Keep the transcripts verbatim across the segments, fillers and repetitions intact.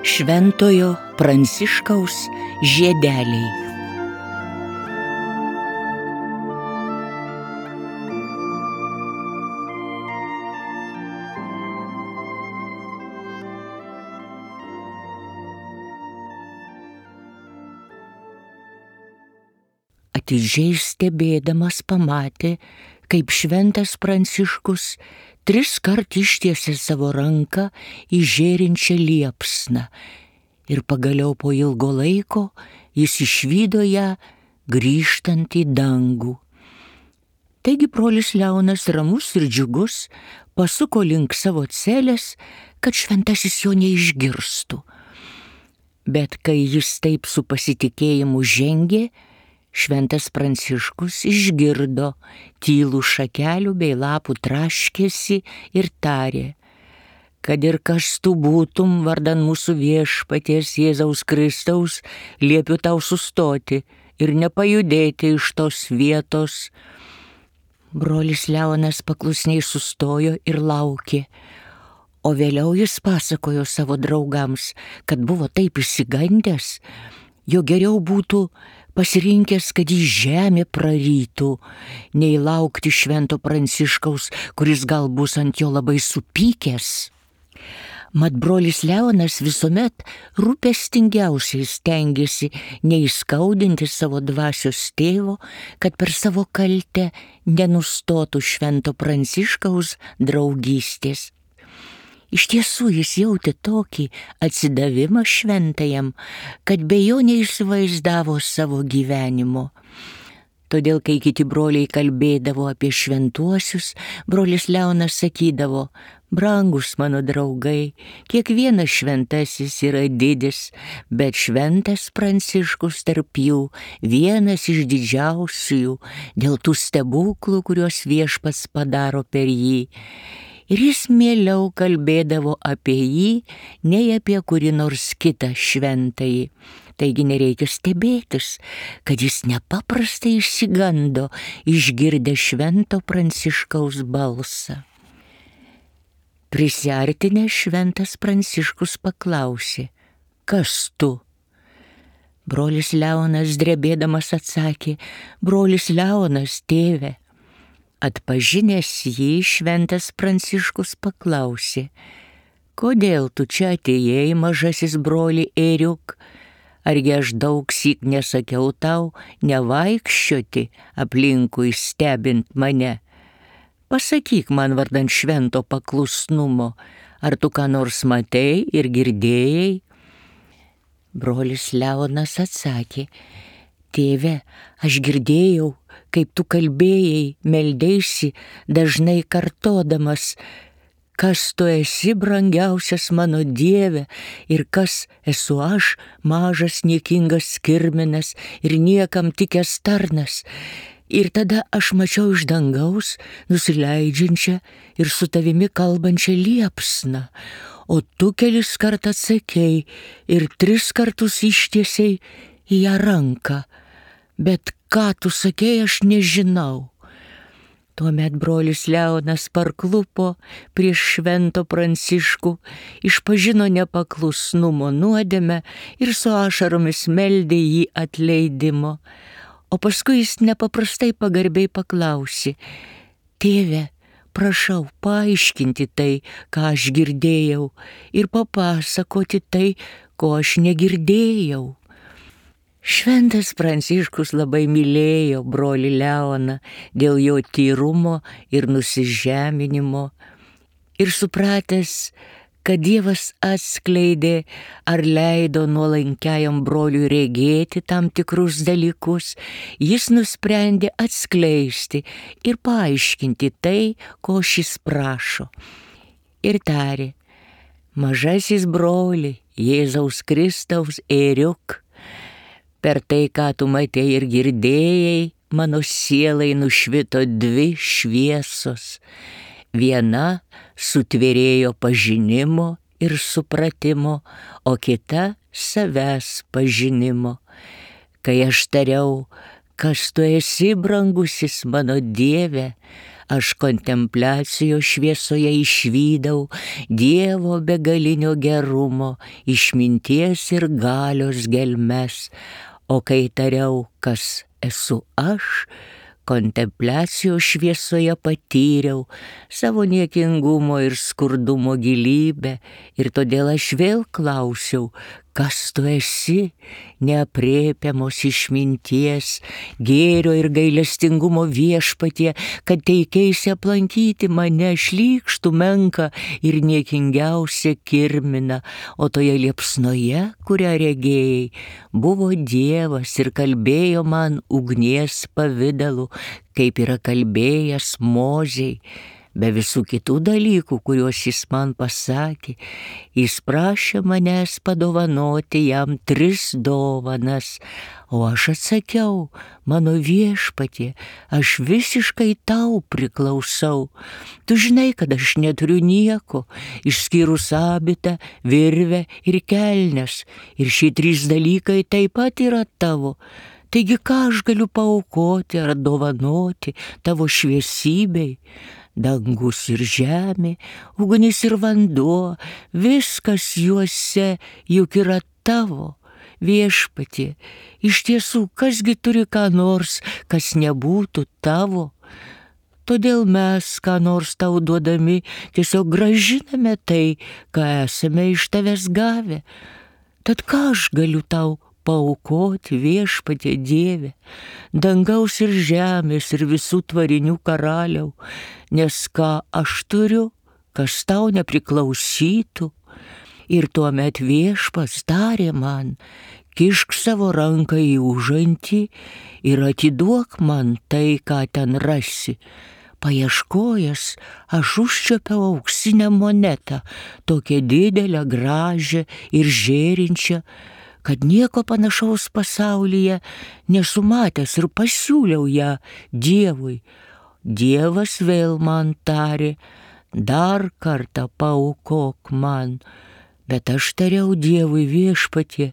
Šventojo Pranciškaus žiedeliai. Atidžiai stebėdamas pamatė, kaip šventas Pranciškus tris kart ištiesė savo ranką į žėrinčią liepsną ir pagaliau po ilgo laiko jis išvydo ją grįžtant į dangų. Taigi brolis Leonas ramus ir džiugus pasuko link savo celės, kad šventasis jo neišgirstų. Bet kai jis taip su pasitikėjimu žengė, šventas Pranciškus išgirdo tylų šakelių bei lapų traškėsi ir tarė: kad ir kas tu būtum vardan mūsų viešpaties Jėzaus Kristaus, liepiu tau sustoti ir nepajudėti iš tos vietos. Brolis Leonas paklusniai sustojo ir laukė, o vėliau jis pasakojo savo draugams, kad buvo taip išsigandęs, jo geriau būtų pasirinkęs, kad į žemę prarytų, nei laukti švento Pranciškaus, kuris gal bus ant jo labai supykęs. Mat brolis Leonas visuomet rūpestingiausiai stengėsi neįskaudinti savo dvasios tėvo, kad per savo kaltę nenustotų švento Pranciškaus draugystės. Iš tiesų jis jautė tokį atsidavimą šventajam, kad be jo neįsivaizdavo savo gyvenimo. Todėl, kai kiti broliai kalbėdavo apie šventuosius, brolis Leonas sakydavo: brangus mano draugai, kiekvienas šventasis yra didis, bet šventas Pranciškus tarp jų vienas iš didžiausiųjų dėl tų stebuklų, kuriuos viešpats padaro per jį. Ir jis mieliau kalbėdavo apie jį, nei apie kurį nors kitą šventąjį. Taigi nereikia stebėtis, kad jis nepaprastai išsigando, išgirdę švento Pranciškaus balsą. Prisiartinęs šventas Pranciškus paklausė: kas tu? Brolis Leonas drebėdamas atsakė: brolis Leonas, tėve. Atpažinęs jį, šventas Pranciškus paklausė: kodėl tu čia atėjai, mažasis broli ėriuk? Argi aš daug syk nesakiau tau nevaikščioti aplinkui stebint mane? Pasakyk man vardan švento paklusnumo, ar tu ką nors matei ir girdėjai? Brolis Leonas atsakė: tėve, aš girdėjau, kaip tu kalbėjai, meldeisi, dažnai kartodamas: kas tu esi, brangiausias mano Dieve, ir kas esu aš, mažas niekingas kirminas ir niekam tikęs tarnas. Ir tada aš mačiau iš dangaus nusileidžiančią ir su tavimi kalbančią liepsną, o tu kelis kart atsakei ir tris kartus ištiesiai į ją ranką. Bet ką tu sakei, aš nežinau. Tuomet brolis Leonas parklupo prieš švento Pranciškų, išpažino nepaklusnumo nuodėmę ir su ašaromis meldė jį atleidimo. O paskui jis nepaprastai pagarbiai paklausė: tėve, prašau paaiškinti tai, ką aš girdėjau, ir papasakoti tai, ko aš negirdėjau. Šventas Pranciškus labai mylėjo brolį Leoną dėl jo tyrumo ir nusižeminimo. Ir supratęs, kad Dievas atskleidė ar leido nuolankiajam broliui regėti tam tikrus dalykus, jis nusprendė atskleisti ir paaiškinti tai, ko šis prašo. Ir tarė: mažasis broli, Jėzaus Kristaus ėriuk, per tai, ką tu matei ir girdėjai, mano sielai nušvito dvi šviesos. Viena sutvėrėjo pažinimo ir supratimo, o kita savęs pažinimo. Kai aš tariau, Kas tu esi, brangusis mano Dieve, aš kontempliacijos šviesoje išvydau Dievo begalinio gerumo, išminties ir galios gelmes, o kai tariau, kas esu aš, kontempliacijos šviesoje patyriau savo niekingumo ir skurdumo gilybę, ir todėl aš vėl klausiau, kas tu esi, neaprėpiamos išminties, gėrio ir gailestingumo viešpatie, kad teikeisi aplankyti mane šlykštų menką ir niekingiausią kirminą, o toje liepsnoje, kurią regėjai, buvo Dievas ir kalbėjo man ugnies pavidalu, kaip yra kalbėjęs Mozei. Be visų kitų dalykų, kuriuos jis man pasakė, jis prašė manęs padovanoti jam tris dovanas, o aš atsakiau, mano viešpatie, aš visiškai tau priklausau. Tu žinai, kad aš neturiu nieko, išskyrus abitą, virvę ir kelnes, ir šie trys dalykai taip pat yra tavo. Taigi ką aš galiu paaukoti ar dovanoti tavo šviesybei? Dangus ir žemė, ugnis ir vanduo, viskas juose juk yra tavo, viešpatie. Iš tiesų, kasgi turi ką nors, kas nebūtų tavo? Todėl mes, ką nors tau duodami, tiesiog grąžiname tai, ką esame iš tavęs gavę. Tad ką aš galiu tau paaukoti, viešpatie Dieve, dangaus ir žemės ir visų tvarinių karaliau, nes ką aš turiu, kas tau nepriklausytų. Ir tuomet viešpats tarė man, kišk savo ranką į užantį ir atiduok man tai, ką ten rasi. Paieškojęs, aš užčiuopiau auksinę monetą, tokią didelę, gražią ir žėrinčią, kad nieko panašaus pasaulyje nesu matęs, ir pasiūliau ją Dievui. Dievas vėl man tarė, dar kartą paaukok man, bet aš tariau Dievui, viešpatie,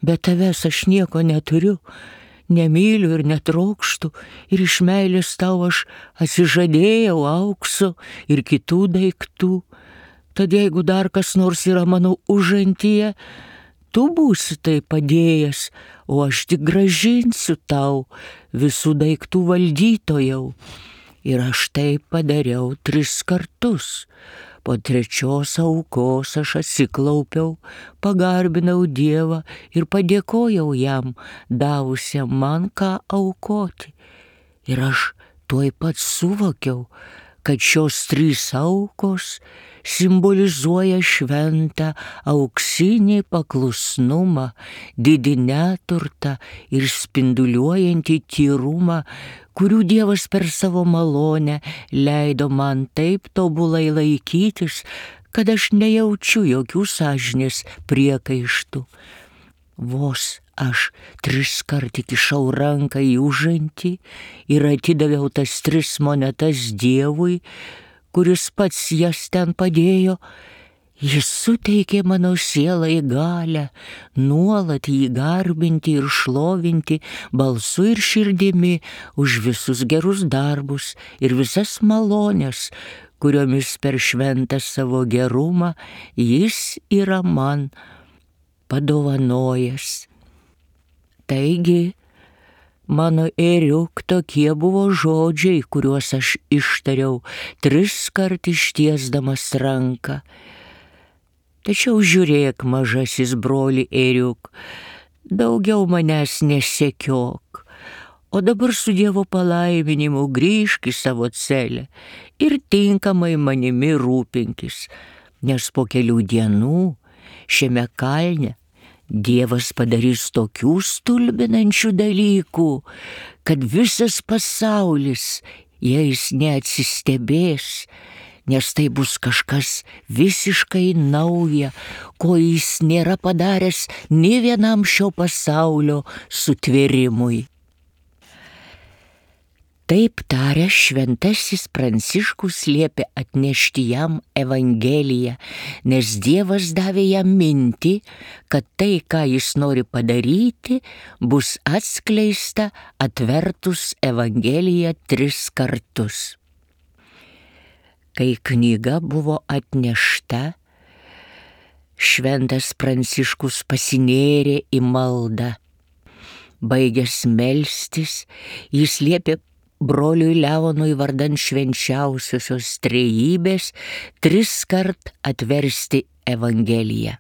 be tavęs aš nieko neturiu, nemyliu ir netrokštu, ir iš meilės tau aš atsižadėjau aukso ir kitų daiktų. Tad jeigu dar kas nors yra mano užantyje, tu būsi tai padėjęs, o aš tik grąžinsiu tau visų daiktų valdytojau. Ir aš tai padariau tris kartus. Po trečios aukos aš atsiklaupiau, pagarbinau Dievą ir padėkojau jam, davusiam man ką aukoti. Ir aš tuoj pat suvokiau, kad šios trys aukos simbolizuoja šventą auksinį paklusnumą, didį neturtą ir spinduliuojantį tyrumą, kurių Dievas per savo malonę leido man taip tobulai laikytis, kad aš nejaučiu jokių sąžinės priekaištų. Vos aš tris kart įkišau ranką į užantį ir atidaviau tas tris monetas Dievui, kuris pats jas ten padėjo, jis suteikė mano sielai galią nuolat jį garbinti ir šlovinti balsu ir širdimi už visus gerus darbus ir visas malones, kuriomis per šventą savo gerumą jis yra man padovanojęs. Taigi, mano ėriuk, tokie buvo žodžiai, kuriuos aš ištariau tris kart ištiesdamas ranką. Tačiau žiūrėk, mažasis broli ėriuk, daugiau manęs nesekiok, o dabar su Dievo palaiminimu grįžk į savo celę ir tinkamai manimi rūpinkis, nes po kelių dienų šiame kalne Dievas padarys tokių stulbinančių dalykų, kad visas pasaulis jais neatsistebės, nes tai bus kažkas visiškai nauja, ko jis nėra padaręs nė vienam šio pasaulio sutvėrimui. Taip taręs šventasis Pranciškus liepė atnešti jam Evangeliją, nes Dievas davė jam mintį, kad tai, ką jis nori padaryti, bus atskleista atvertus Evangeliją tris kartus. Kai knyga buvo atnešta, šventas Pranciškus pasinėrė į maldą. Baigęs melstis, jis liepė broliui Leonui vardan švenčiausiosios trejybės tris kart atversti Evangeliją.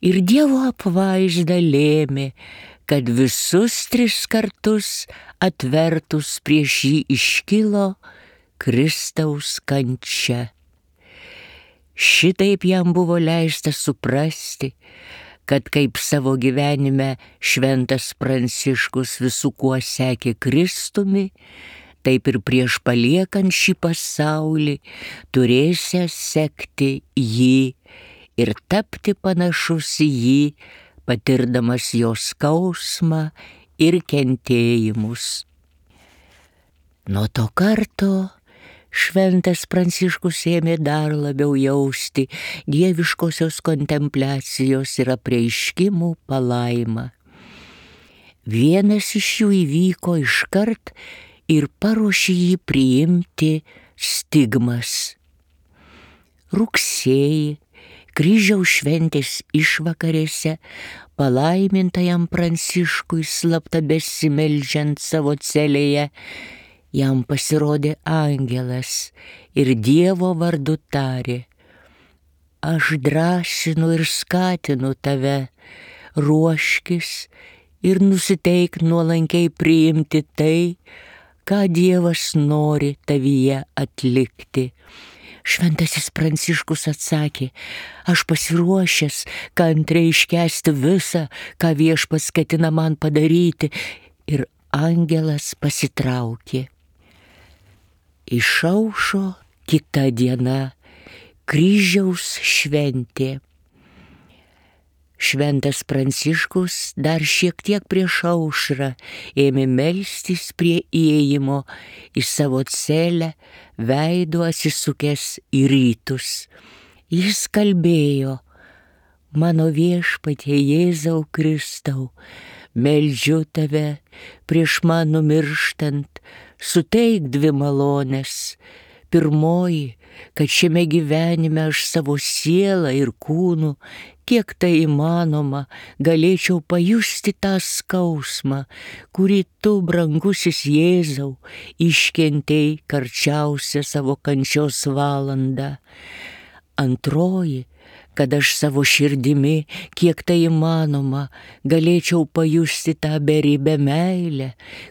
Ir Dievo apvaizda lėmė, kad visus tris kartus atvertus prieš jį iškilo Kristaus kančia. Šitaip jam buvo leista suprasti, kad kaip savo gyvenime šventas Pranciškus visų kuo sekė Kristumi, taip ir prieš paliekant šį pasaulį turėsiąs sekti jį ir tapti panašus į jį, patirdamas jo skausmą ir kentėjimus. Nuo to karto šventas Pranciškus ėmė dar labiau jausti dieviškosios kontempliacijos ir apreiškimų palaimą. Vienas iš jų įvyko iškart ir paruošė jį priimti stigmas. Rugsėjį, kryžiaus šventės išvakarėse, palaimintajam Pranciškui slapta besimeldžiant savo celėje, jam pasirodė angelas ir Dievo vardu tarė: aš drąsinu ir skatinu tave, ruoškis ir nusiteik nuolankiai priimti tai, ką Dievas nori tavyje atlikti. Šventasis Pranciškus atsakė: aš pasiruošęs kantriai iškęsti visą, ką Viešpats ketina man padaryti, ir angelas pasitraukė. Išaušo kita diena, kryžiaus šventė. Šventas Pranciškus dar šiek tiek prieš aušrą ėmė melstis prie įėjimo į savo celę, veidu atsisukęs į rytus. Jis kalbėjo: mano Viešpatie Jėzau Kristau, meldžiu tave prieš man numirštant, suteik dvi malones. Pirmoji, kad šiame gyvenime aš savo sielą ir kūnu, kiek tai įmanoma, galėčiau pajusti tą skausmą, kurį tu, brangusis Jėzau, iškentėjai karčiausią savo kančios valandą. Antroji, kad aš savo širdimi, kiek tai įmanoma, galėčiau pajusti tą beribę meilę,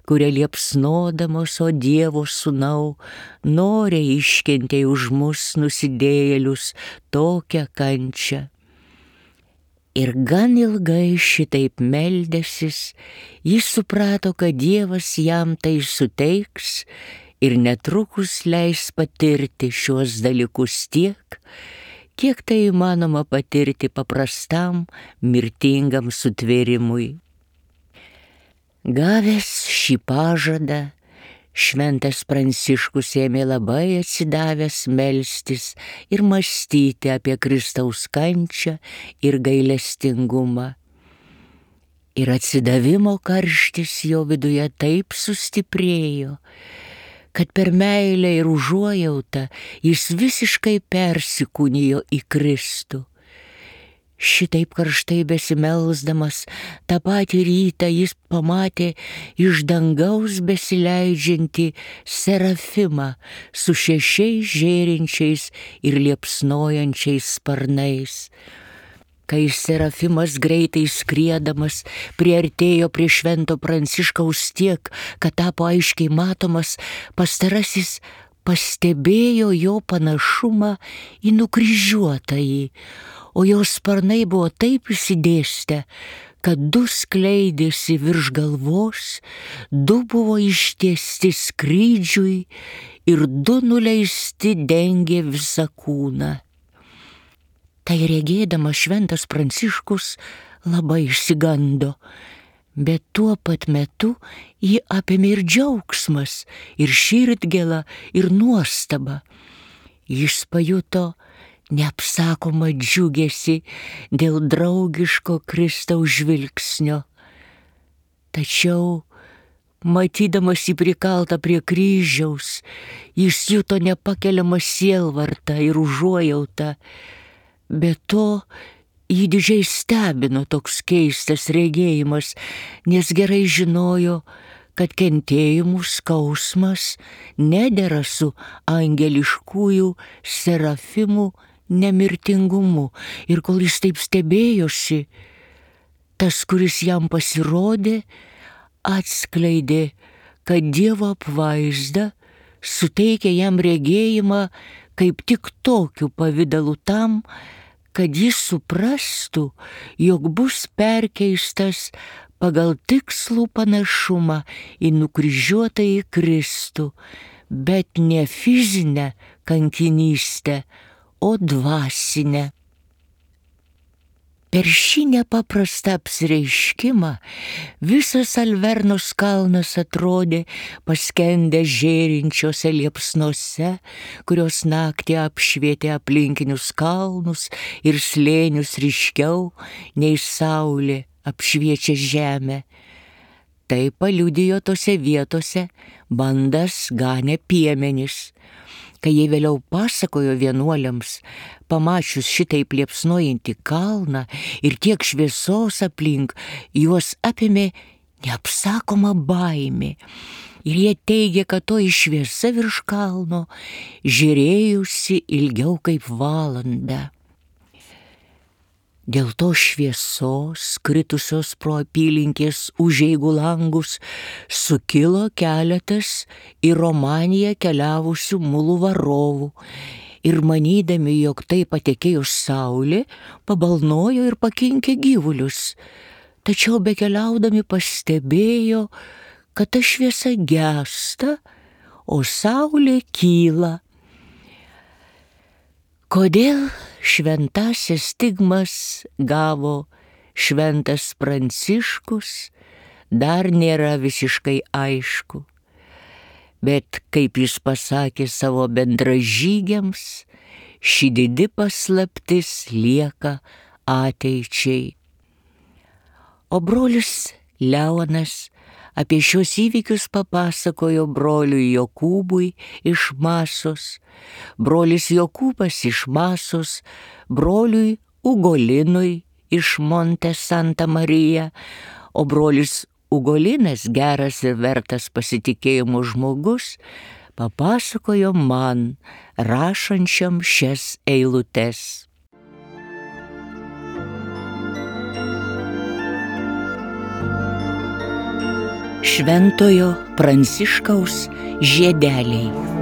kurią liepsnodamos, o Dievo sūnau, noriai iškentėjai už mus nusidėjėlius tokią kančią. Ir gan ilgai šitaip meldęsis, jis suprato, kad Dievas jam tai suteiks ir netrukus leis patirti šiuos dalykus tiek, kiek tai įmanoma patirti paprastam, mirtingam sutvėrimui. Gavęs šį pažadą, šventas Pranciškus ėmė labai atsidavęs melstis ir mąstyti apie Kristaus kančią ir gailestingumą. Ir atsidavimo karštis jo viduje taip sustiprėjo, kad per meilę ir užuojautą jis visiškai persikūnijo į Kristų. Šitaip karštai besimelsdamas, tą patį rytą jis pamatė iš dangaus besileidžiantį serafimą su šešiais žėrinčiais ir liepsnojančiais sparnais. Kai serafimas greitai skriedamas priartėjo prie švento Pranciškaus tiek, kad tapo aiškiai matomas, pastarasis pastebėjo jo panašumą į nukryžiuotąjį, o jo sparnai buvo taip išsidėstę, kad du skleidėsi virš galvos, du buvo ištiesti skrydžiui ir du nuleisti dengė visą kūną. Tai regėdamas šventas Pranciškus labai išsigando. Bet tuo pat metu jį apėmė ir džiaugsmas, ir širdgėla, ir nuostaba. Jis pajuto neapsakomą džiugesį dėl draugiško Kristaus žvilgsnio. Tačiau, matydamas jį prikaltą prie kryžiaus, jis juto nepakeliamą sielvartą ir užuojautą. Be to, jį didžiai stebino toks keistas regėjimas, nes gerai žinojo, kad kentėjimų skausmas nedera su angeliškųjų serafimų nemirtingumu. Ir kol jis taip stebėjosi, tas, kuris jam pasirodė, atskleidė, kad Dievo apvaizda suteikia jam regėjimą kaip tik tokiu pavidalu tam, kad jis suprastų, jog bus perkeistas pagal tikslų panašumą į nukryžiuotąjį Kristų, bet ne fizinę kankinystę, o dvasinę. Per šį nepaprastą apsireiškimą visas Alvernos kalnas atrodė paskendęs žėrinčiose liepsnose, kurios naktį apšvietė aplinkinius kalnus ir slėnius ryškiau nei saulė apšviečia žemę. Tai paliudijo tose vietose bandas ganę piemenys. Kai jie vėliau pasakojo vienuoliams, pamačius šitaip liepsnojantį kalną ir tiek šviesos aplink, juos apėmė neapsakoma baimė. Ir jie teigė, kad toji šviesa virš kalno žiūrėjusi ilgiau kaip valandą. Dėl to šviesos, kritusios pro apylinkės užeigų langus, sukilo keletas į Romaniją keliavusių mulų varovų ir manydami, jog tai patekėjus saulė, pabalnojo ir pakinkė gyvulius. Tačiau bekeliaudami pastebėjo, kad ta šviesa gęsta, o saulė kyla. Kodėl šventasis stigmas gavo šventas Pranciškus, dar nėra visiškai aišku. Bet, kaip jis pasakė savo bendražygiams, ši didi paslaptis lieka ateičiai. O brolis Leonas apie šios įvykius papasakojo broliui Jokūbui iš Masos, brolis Jokūbas iš Masos, broliui Ugolinui iš Monte Santa Marija, o brolis Ugolinas, geras ir vertas pasitikėjimo žmogus, papasakojo man, rašančiam šias eilutes. Šventojo Pranciškaus žiedeliai.